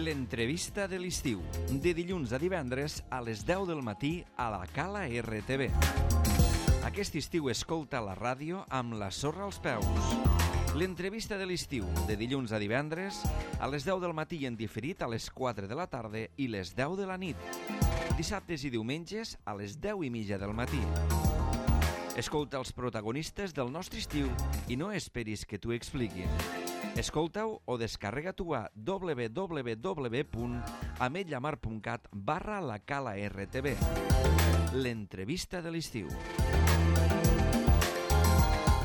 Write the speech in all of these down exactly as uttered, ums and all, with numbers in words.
L'entrevista de l'estiu, de dilluns a divendres a les deu del matí a la Cala R T V. Aquest estiu escolta la ràdio amb la sorra als peus. L'entrevista de l'estiu, de dilluns a divendres a les deu del matí i en diferit a les quatre de la tarda i les deu de la nit. Dissabtes i diumenges a les deu i mitja del matí. Escolta els protagonistes del nostre estiu i no esperis que t'ho expliquin. Escolta-ho o descarrega-t'ho a w w w punt ametlla mar punt cat barra la Cala R T V. L'entrevista de l'estiu.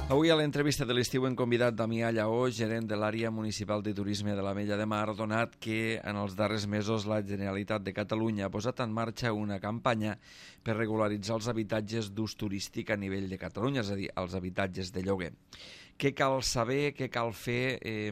Avui a l'entrevista de l'estiu hem convidat Damià Lleó, gerent de l'àrea municipal de turisme de l'Ametlla de Mar, donat que en els darrers mesos la Generalitat de Catalunya ha posat en marxa una campanya per regularitzar els habitatges d'ús turístic a nivell de Catalunya, és a dir, els habitatges de lloguer. Què cal saber, què cal fer eh,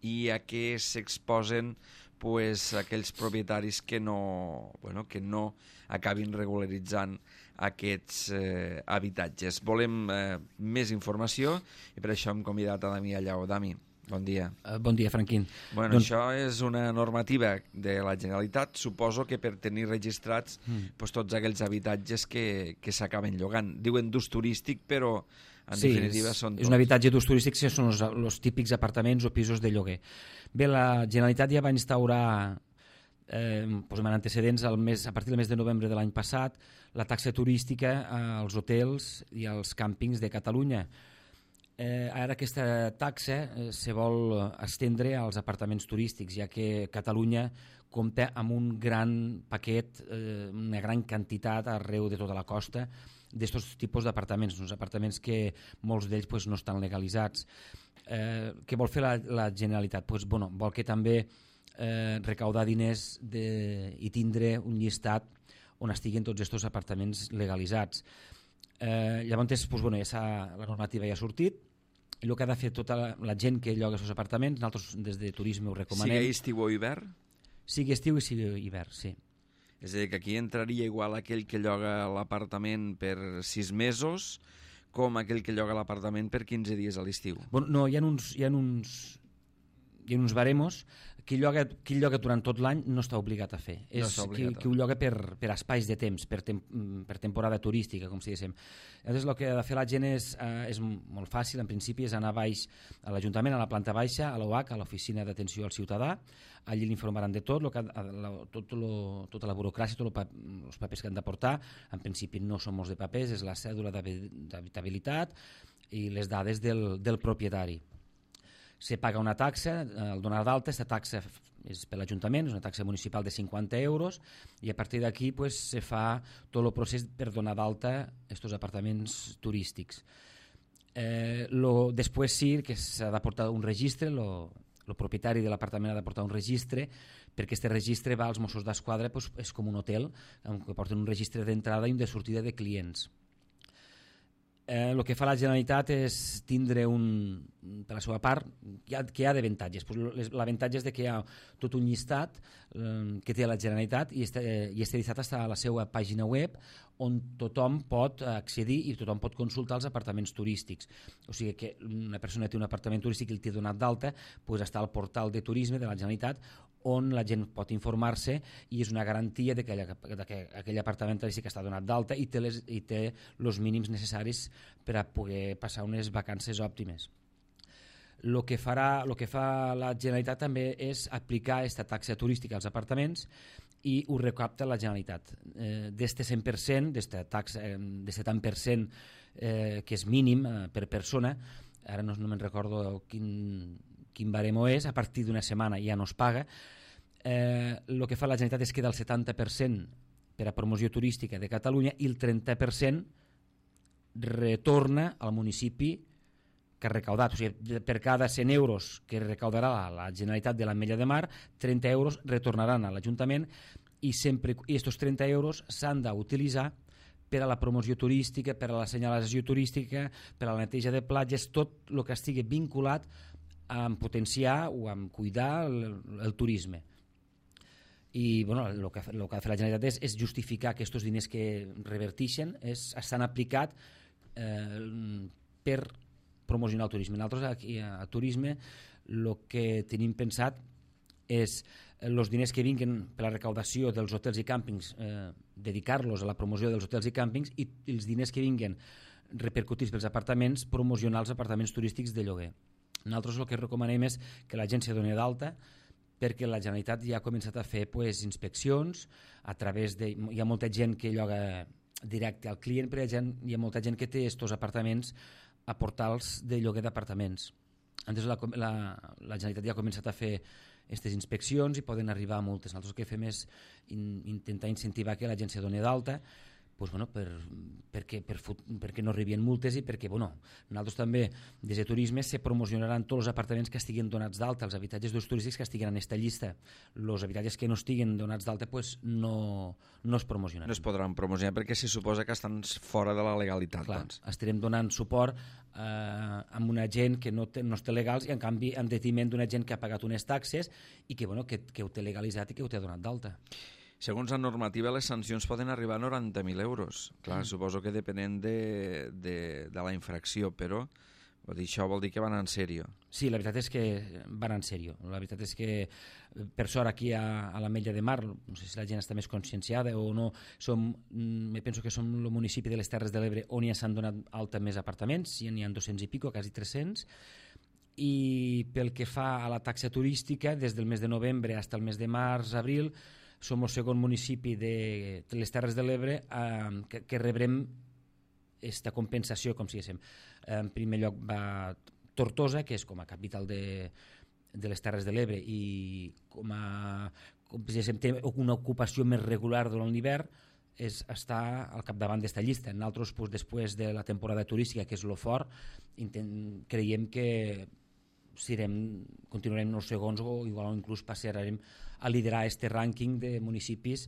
i a què s'exposen pues, aquells propietaris que no, bueno, que no acabin regularitzant aquests eh, habitatges. Volem eh, més informació i per això hem convidat a Damià Lleó. Dami, bon dia. Uh, bon dia, Franquín. Bueno, doncs... això és una normativa de la Generalitat, suposo que per tenir registrats mm. pues, tots aquells habitatges que, que s'acaben llogant. Diuen d'ús turístic, però en sí, definitiva són tots. És un habitatge d'ús turístic, que són els, els típics apartaments o pisos de lloguer. Bé, la Generalitat ja va instaurar eh, doncs amb antecedents al mes, a partir del mes de novembre de l'any passat la taxa turística als hotels i als càmpings de Catalunya. Eh, ara aquesta taxa eh, se vol estendre als apartaments turístics, ja que Catalunya compta amb un gran paquet, eh, una gran quantitat arreu de tota la costa d'aquests tipus d'apartaments, uns apartaments que molts d'ells pues, no estan legalitzats. Eh, què vol fer la, la Generalitat? Pues, bueno, vol que també eh, recaudar diners de, i tindre un llistat on estiguin tots aquests apartaments legalitzats. Eh, llavors, pues, bueno, ja la normativa ja ha sortit, i el que ha de fer tota la, la gent que lloga aquests apartaments, nosaltres des de turisme ho recomanem. Sigui estiu o hivern? Sigui estiu i sigui hivern, sí. És a dir, que aquí entraria igual aquell que lloga l'apartament per sis mesos com aquell que lloga l'apartament per quinze dies a l'estiu. Bueno, no, hi ha uns... Hi ha uns hi ha uns baremos, qui lloga, qui lloga durant tot l'any no està obligat a fer. No és qui, qui ho lloga per, per espais de temps, per, tem, per temporada turística, com si diguéssim. Llavors, el que ha de fer la gent és, eh, és molt fàcil, en principi, és anar baix a l'Ajuntament, a la planta baixa, a l'O H, a l'Oficina d'Atenció al Ciutadà. Allí l'informaran de tot, lo que, la, tot lo, tota la burocràcia, tots els papers que han de portar. En principi no són molts de papers, és la cèdula d'habitabilitat i les dades del, del propietari. Se paga una taxa, el donar d'alta, aquesta taxa és per l'Ajuntament, és una taxa municipal de cinquanta euros, i a partir d'aquí pues, se fa tot el procés per donar d'alta aquests apartaments turístics. Eh, lo, després sí que s'ha de portar un registre, el propietari de l'apartament ha de portar un registre, perquè aquest registre va als Mossos d'Esquadra, pues, és com un hotel, que porten un registre d'entrada i un de sortida de clients. Eh, el que fa la Generalitat és tindre un, per la seva part, que hi ha, que hi ha d'avantatges. Pues l'avantatge és de que hi ha tot un llistat eh, que té la Generalitat i este, i este llistat està a la seva pàgina web on tothom pot accedir i tothom pot consultar els apartaments turístics. O sigui que una persona té un apartament turístic i el té donat d'alta, pues està al portal de turisme de la Generalitat on la gent pot informar-se i és una garantia de que, de que aquell apartament turístic està donat d'alta i té les, i té els mínims necessaris per a poder passar unes vacances òptimes. El que, farà, lo que fa la Generalitat també és aplicar aquesta taxa turística als apartaments i ho recapta la Generalitat. Eh, d'este cent per cent, d'esta taxa de tant per cent eh, que és mínim eh, per persona, ara no, no me'n recordo quin, quin baremo és, a partir d'una setmana ja no es paga. Eh, el que fa la Generalitat és que del setanta per cent per a promoció turística de Catalunya i el trenta per cent retorna al municipi que ha recaudat. O sigui, per cada cent euros que recaudarà la, la Generalitat de l'Ametlla de Mar, trenta euros retornaran a l'Ajuntament i sempre i aquests trenta euros s'han d'utilitzar per a la promoció turística, per a la senyalització turística, per a la neteja de platges, tot el que estigui vinculat a potenciar o a cuidar el, el turisme. I bueno, el que, el que ha de fer la Generalitat és, és justificar que aquests diners que reverteixen és, estan aplicats eh, per promocionar el turisme. Nosaltres aquí a, a turisme el que tenim pensat és els diners que vinguin per la recaudació dels hotels i càmpings, eh, dedicar-los a la promoció dels hotels i càmpings, i els diners que vinguin repercutits pels apartaments, promocionar els apartaments turístics de lloguer. Nosaltres el que recomanem és que la gent se doni d'alta, perquè la Generalitat ja ha començat a fer pues, inspeccions a través de... Hi ha molta gent que lloga directe al client, però hi ha, gent, hi ha molta gent que té estos apartaments a portals de lloguer d'apartaments. Entonces la, la, la Generalitat ja ha començat a fer aquestes inspeccions i poden arribar a multes. Nosaltres el que fem és in, intentar incentivar que la gent se doni d'alta, pues, bueno, per, perquè, per, perquè no arribin multes i perquè bueno, nosaltres també des de turisme se promocionaran tots els apartaments que estiguin donats d'alta, els habitatges d'ús turístics que estiguin en aquesta llista. Els habitatges que no estiguin donats d'alta pues, no, no es promocionaran. No es podran promocionar perquè se suposa que estan fora de la legalitat. Clar, doncs. Estarem donant suport eh, amb una gent que no té, no té legals i en canvi en detriment d'una gent que ha pagat unes taxes i que, bueno, que, que ho té legalitzat i que ho té donat d'alta. Segons la normativa, les sancions poden arribar a noranta mil euros. Clar, mm. suposo que depenent de, de, de la infracció, però vol dir, això vol dir que van en sèrio. Sí, la veritat és que van en sèrio. La veritat és que, per sort, aquí a, a l'Ametlla de Mar, no sé si la gent està més conscienciada o no, som, me penso que som el municipi de les Terres de l'Ebre on ja s'han donat alta més apartaments, ja n'hi ha dos-cents i pico, quasi tres-cents, i pel que fa a la taxa turística, des del mes de novembre fins al mes de març, abril, som el segon municipi de les Terres de l'Ebre eh, que, que rebrem aquesta compensació, com si diguéssim. En primer lloc va Tortosa, que és com a capital de, de les Terres de l'Ebre i com a com si diguéssim, té una ocupació més regular durant l'hivern, és estar al capdavant d'esta llista. Nosaltres, pues, després de la temporada turística, que és lo fort, intent, creiem que serem, continuarem els segons o igual inclús passarem a liderar este rànquing de municipis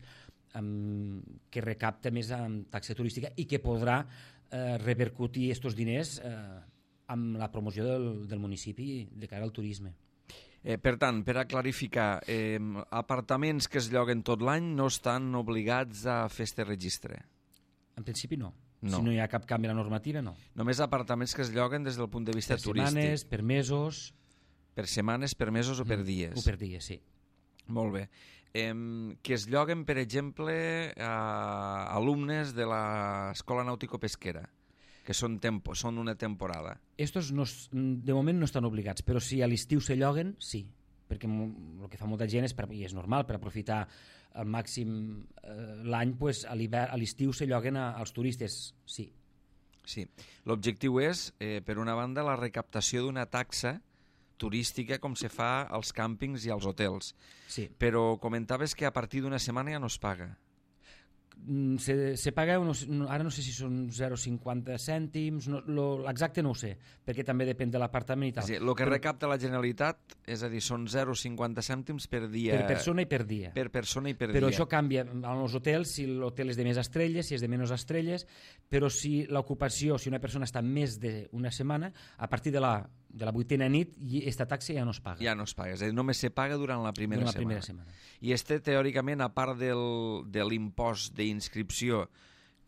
um, que recapta més amb taxa turística i que podrà eh, repercutir aquests diners eh, amb la promoció del, del municipi de cara al turisme. Eh, per tant, per a clarificar, eh, apartaments que es lloguen tot l'any no estan obligats a fer este registre? En principi no. No. Si no hi ha cap canvi a la normativa, no. Només apartaments que es lloguen des del punt de vista per turístic. Per setmanes, per mesos... Per setmanes, per mesos o per dies? O per dies, sí. Molt bé. Eh, que es lloguen, per exemple, a alumnes de l'Escola Nàutico-Pesquera, que són, tempo, són una temporada. Estos no, de moment no estan obligats, però si a l'estiu se lloguen, sí. Perquè el que fa molta gent és, per, i és normal, per aprofitar al màxim eh, l'any, pues, a l'estiu se lloguen a, als turistes, sí. Sí. L'objectiu és, eh, per una banda, la recaptació d'una taxa turística com se fa als càmpings i als hotels. Sí. Però comentaves que a partir d'una setmana ja no es paga. Se, se paga, unos, ara no sé si són zero coma cinquanta cèntims, no, l'exacte no ho sé, perquè també depèn de l'apartament i tal. Sí, el que però, recapta la Generalitat, és a dir, són zero coma cinquanta cèntims per dia. Per persona i per dia. Per persona i per però dia. Això canvia als hotels, si l'hotel és de més estrelles, si és de menys estrelles, però si l'ocupació, si una persona està més d'una setmana, a partir de la, de la vuitena nit, aquesta taxa ja no es paga. Ja no es paga, és a dir, només se paga durant la primera, durant la primera setmana. setmana. I este, teòricament, a part del, de l'impost d'inscripció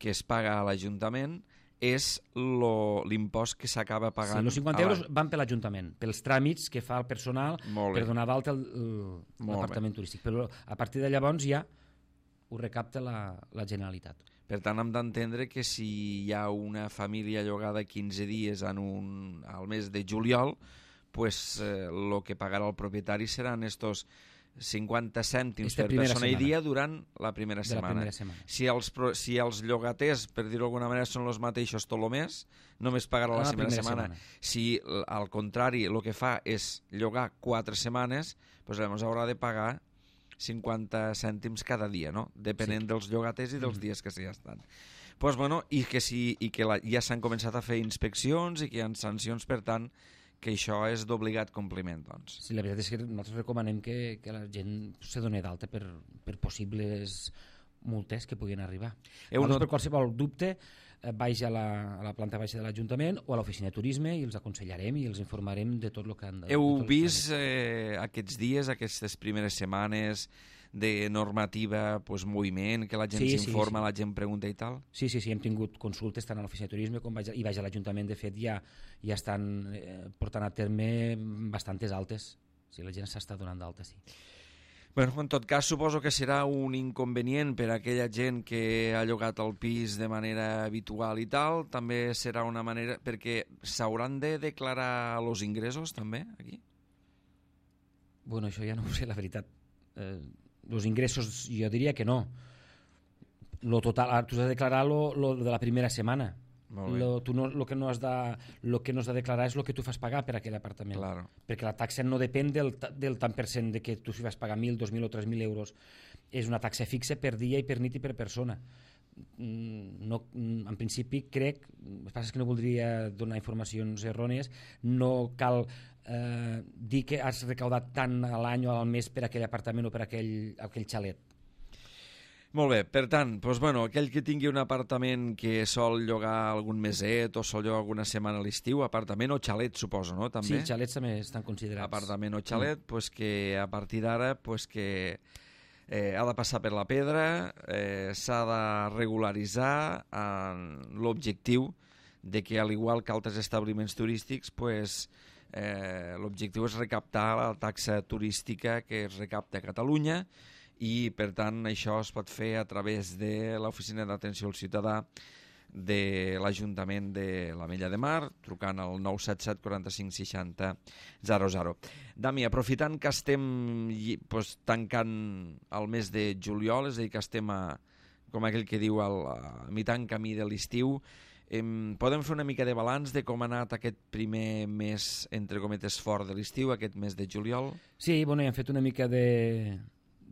que es paga a l'Ajuntament, és l'impost que s'acaba pagant... Sí, els cinquanta la... euros van per l'Ajuntament, pels tràmits que fa el personal per donar d'alta l'apartament turístic. Però a partir de llavors ja ho recapta la, la Generalitat. Per tant, hem d'entendre que si hi ha una família llogada quinze dies en un, al mes de juliol, pues, eh, lo que pagarà el propietari seran estos cinquanta cèntims Esta per persona setmana. i dia durant la primera de setmana. La primera setmana. Si els, si els llogaters, per dir-ho d'alguna manera, són els mateixos tot el mes, només pagarà la, la primera, primera setmana. setmana. Si, al contrari, el que fa és llogar quatre setmanes, doncs llavors haurà de pagar cinquanta cèntims cada dia, no? Depenent sí. dels llogaters i dels mm-hmm. dies que s'hi estan. Pues, bueno, i que, si, i que la, ja s'han començat a fer inspeccions i que hi ha sancions, per tant, que això és d'obligat compliment, doncs. Sí, la veritat és que nosaltres recomanem que, que la gent se doni d'alta per, per possibles multes que puguin arribar. Heu not... Per qualsevol dubte, vaig a la, a la planta baixa de l'Ajuntament o a l'oficina de turisme i els aconsellarem i els informarem de tot el que han de... Heu vist eh, aquests dies, aquestes primeres setmanes de normativa, pues, moviment, que la gent sí, s'informa, sí, sí. la gent pregunta i tal? Sí, sí, sí, hem tingut consultes tant a l'oficina de turisme com vaig a, i vaig a l'Ajuntament. De fet, ja, ja estan eh, portant a terme bastantes altes. Sí, la gent s'està donant d'alta, sí. Bueno, en tot cas, suposo que serà un inconvenient per a aquella gent que ha llogat el pis de manera habitual i tal. També serà una manera... Perquè s'hauran de declarar els ingressos, també, aquí? Bueno, això ja no ho sé, la veritat. Eh, els ingressos, jo diria que no. Lo total, tu has de declarar lo, lo de la primera setmana. Lo, tu no, lo, que no has de, lo que no has de declarar és el que tu fas pagar per aquell apartament, claro. Perquè la taxa no depèn del, del tant per cent de que tu si vas pagar mil, dos mil o tres mil euros, és una taxa fixa per dia i per nit i per persona. No, en principi crec, el que passa és que no voldria donar informacions errònies, no cal eh, dir que has recaudat tant a l'any o al mes per aquell apartament o per aquell, aquell xalet. Molt bé, per tant, doncs, bueno, aquell que tingui un apartament que sol llogar algun meset o sol llogar alguna setmana a l'estiu, apartament o xalet, suposo, no? També? Sí, xalets també estan considerats. Apartament o xalet, mm. pues que a partir d'ara pues que eh, ha de passar per la pedra, eh, s'ha de regularitzar en l'objectiu de que, al igual que altres establiments turístics, pues, eh, l'objectiu és recaptar la taxa turística que es recapta a Catalunya, i per tant això es pot fer a través de l'Oficina d'Atenció al Ciutadà de l'Ajuntament de l'Ametlla de Mar, trucant al nou set set quaranta-cinc seixanta zero zero. Dami, aprofitant que estem pues, tancant el mes de juliol, és a dir, que estem a, com aquell que diu, al, a mitant camí de l'estiu, em, podem fer una mica de balanç de com ha anat aquest primer mes, entre cometes, fort de l'estiu, aquest mes de juliol? Sí, bueno, hem fet una mica de...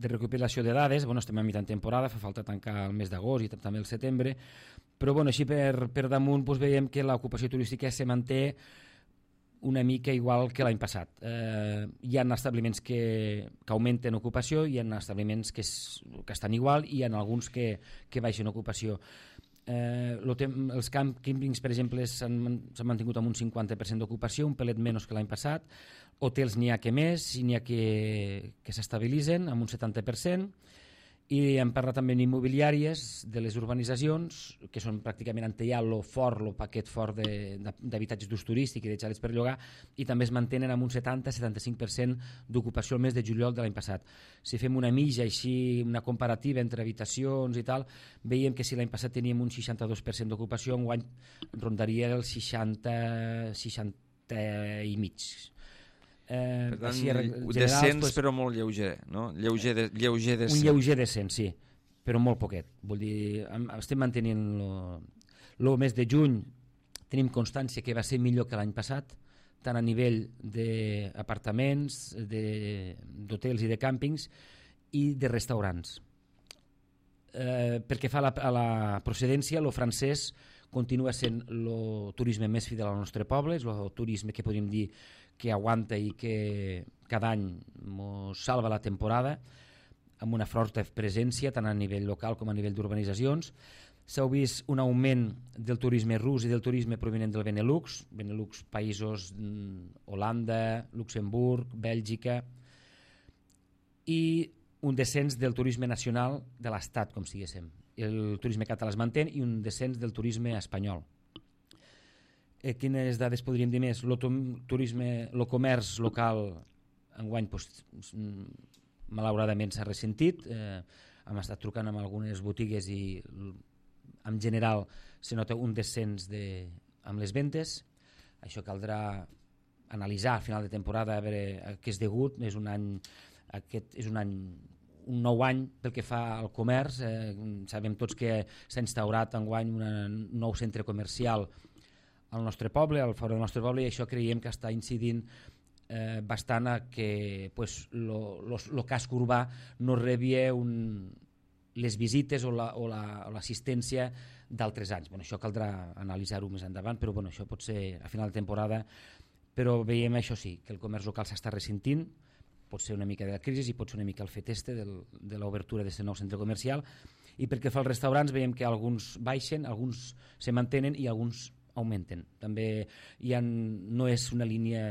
de recopilació de dades. Bueno, estem a mitjan temporada, fa falta tancar el mes d'agost i també el setembre, però bueno, així per, per damunt doncs, veiem que l'ocupació turística se manté una mica igual que l'any passat. Eh, hi ha establiments que, que augmenten ocupació, hi ha establiments que, es, que estan igual i hi ha alguns que, que baixen ocupació. Eh, lo tem, els càmpings, per exemple, s'han mantingut amb un cinquanta per cent d'ocupació, un pelet menys que l'any passat. Hotels n'hi ha que més, i n'hi ha que, que s'estabilitzen amb un setanta per cent, i hem parlat també d'immobiliàries de les urbanitzacions, que són pràcticament en ja el fort, el paquet fort d'habitatges d'ús turístic i de xalets per llogar, i també es mantenen amb un setanta a setanta-cinc per cent d'ocupació el mes de juliol de l'any passat. Si fem una mitja, així, una comparativa entre habitacions i tal, veiem que si l'any passat teníem un seixanta-dos per cent d'ocupació, enguany rondaria el seixanta, seixanta i mig. Eh, per tant, generals, descens pues, però molt lleuger, no? Lleuger, de, lleuger descens. Un lleuger descens, sí, però molt poquet. Vull dir, estem mantenint el mes de juny, tenim constància que va ser millor que l'any passat, tant a nivell d'apartaments, d'hotels i de càmpings i de restaurants. Eh, perquè fa la, a la procedència, el francès continua sent el turisme més fidel al nostre poble, és el turisme que podríem dir que aguanta i que cada any ens salva la temporada, amb una forta presència tant a nivell local com a nivell d'urbanitzacions. S'ha vist un augment del turisme rus i del turisme provinent del Benelux, Benelux països Holanda, Luxemburg, Bèlgica, i un descens del turisme nacional de l'Estat, com si diguéssim. El turisme català es manté i un descens del turisme espanyol. Eh, quines dades podríem dir més? El turisme, el comerç local enguany doncs, malauradament s'ha ressentit. Eh, hem estat trucant amb algunes botigues i en general se nota un descens de, amb les ventes. Això caldrà analitzar al final de temporada a veure a què és degut. És un any, aquest és un any un nou any pel que fa al comerç. Eh, sabem tots que s'ha instaurat enguany un nou centre comercial al nostre poble, al fora del nostre poble, i això creiem que està incidint eh, bastant a que pues, lo, lo, lo casc urbà no rebia un, les visites o l'assistència la, d'altres anys. Bueno, això caldrà analitzar-ho més endavant, però bueno, això pot ser a final de temporada, però veiem això sí, que el comerç local s'està ressentint, pot ser una mica de la crisi i pot ser una mica el fet este del, de l'obertura d'aquest nou centre comercial, i perquè fa els restaurants veiem que alguns baixen, alguns se mantenen i alguns augmenten. També hi ha, no és una línia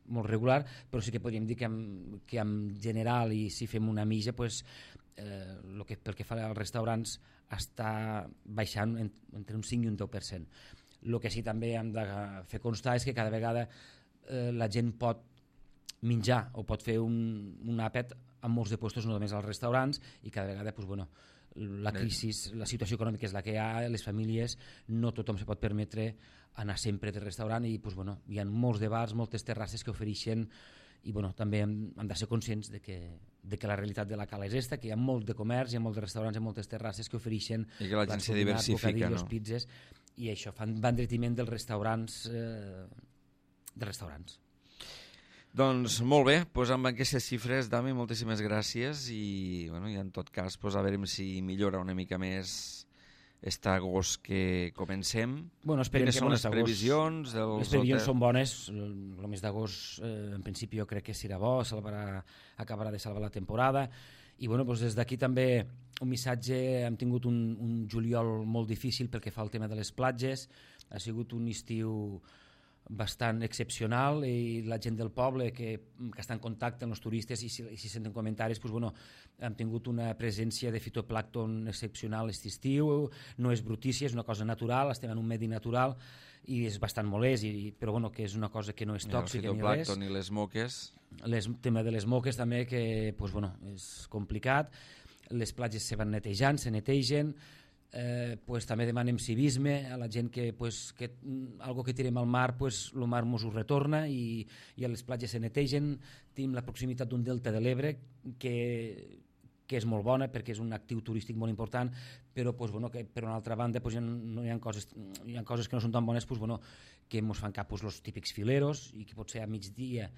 molt regular, però sí que podríem dir que en, que en general, i si fem una mitja, pues, eh, lo que, pel que fa als restaurants està baixant entre un cinc i un deu per cent. El que sí també hem de fer constar és que cada vegada eh, la gent pot menjar o pot fer un, un àpat amb molts de puestos, no només als restaurants, i cada vegada pues, bueno, la crisi, la situació econòmica és la que hi ha, les famílies, no tothom se pot permetre anar sempre de restaurant i pues, bueno, hi ha molts de bars, moltes terrasses que ofereixen i bueno, també hem, hem de ser conscients de que, de que la realitat de la cala és esta, que hi ha molt de comerç, hi ha molts de restaurants i moltes terrasses que ofereixen i que la gent se diversifica, no? Pizzas, i això fan va endretiment dels restaurants eh, dels restaurants. Doncs molt bé, doncs amb aquestes xifres, Dami, moltíssimes gràcies i, bueno, i en tot cas pues, a veure si millora una mica més este agost que comencem. Bueno, esperem Quines que són les agost, previsions? Dels les previsions hotels? són bones, el, el mes d'agost eh, en principi jo crec que serà bo, salvarà, acabarà de salvar la temporada i bueno, doncs des d'aquí també un missatge, hem tingut un, un juliol molt difícil pel que fa al tema de les platges, ha sigut un estiu bastant excepcional i la gent del poble que, que està en contacte amb els turistes i si, i si senten comentaris, doncs, bueno, hem tingut una presència de fitoplàncton excepcional aquest estiu, no és brutícia, és una cosa natural, estem en un medi natural i és bastant molest, i, però bueno, que és una cosa que no és tòxica ni res. El fitoplàncton i les moques. El tema de les moques també, que pues, bueno, és complicat, les platges se van netejant, se netegen, Eh, pues, també demanem civisme a la gent que, pues, que algo que tirem al mar, pues, el mar mos ho retorna i, i a les platges se netegen. Tenim la proximitat d'un delta de l'Ebre que, que és molt bona perquè és un actiu turístic molt important, però pues, bueno, que, per una altra banda pues, hi, ha, no, hi, ha coses, hi ha coses que no són tan bones, pues, bueno, que ens fan cap pues, els típics fileros i que potser a migdia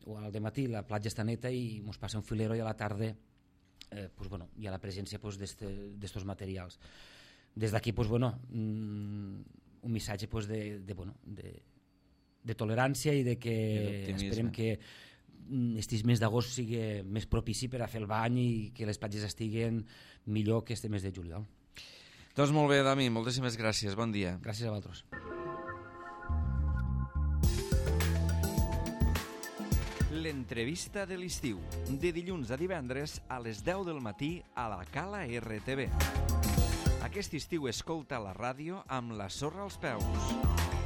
o al dematí la platja està neta i ens passa un filero i a la tarda eh, pues, bueno, hi ha la presència pues, d'estos materials. Des d'aquí pues, bueno, un missatge pues, de, de, bueno, de, de tolerància i de que esperem que aquest mes d'agost sigui més propici per a fer el bany i que les platges estiguen millor que este mes de juliol. Doncs molt bé, Dami, moltíssimes gràcies, bon dia. Gràcies a vosaltres. L'entrevista de l'estiu, de dilluns a divendres a les deu del matí a la Cala R T V. Aquest estiu escolta la ràdio amb la sorra als peus.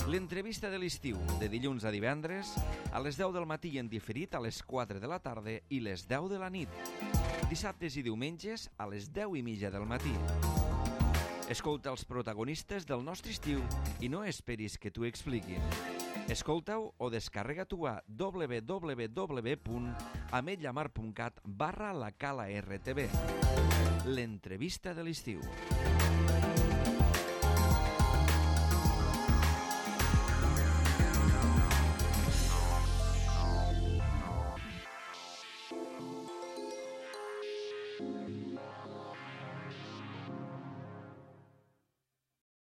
L'entrevista de l'estiu, de dilluns a divendres, a les deu del matí en diferit a les quatre de la tarda i les deu de la nit. Dissabtes i diumenges a les deu i mitja del matí. Escolta els protagonistes del nostre estiu i no esperis que t'ho expliquin. Escolta-ho o descarrega-t'ho a w w w punt ametlla mar punt cat barra la cala R T V. L'entrevista de l'estiu.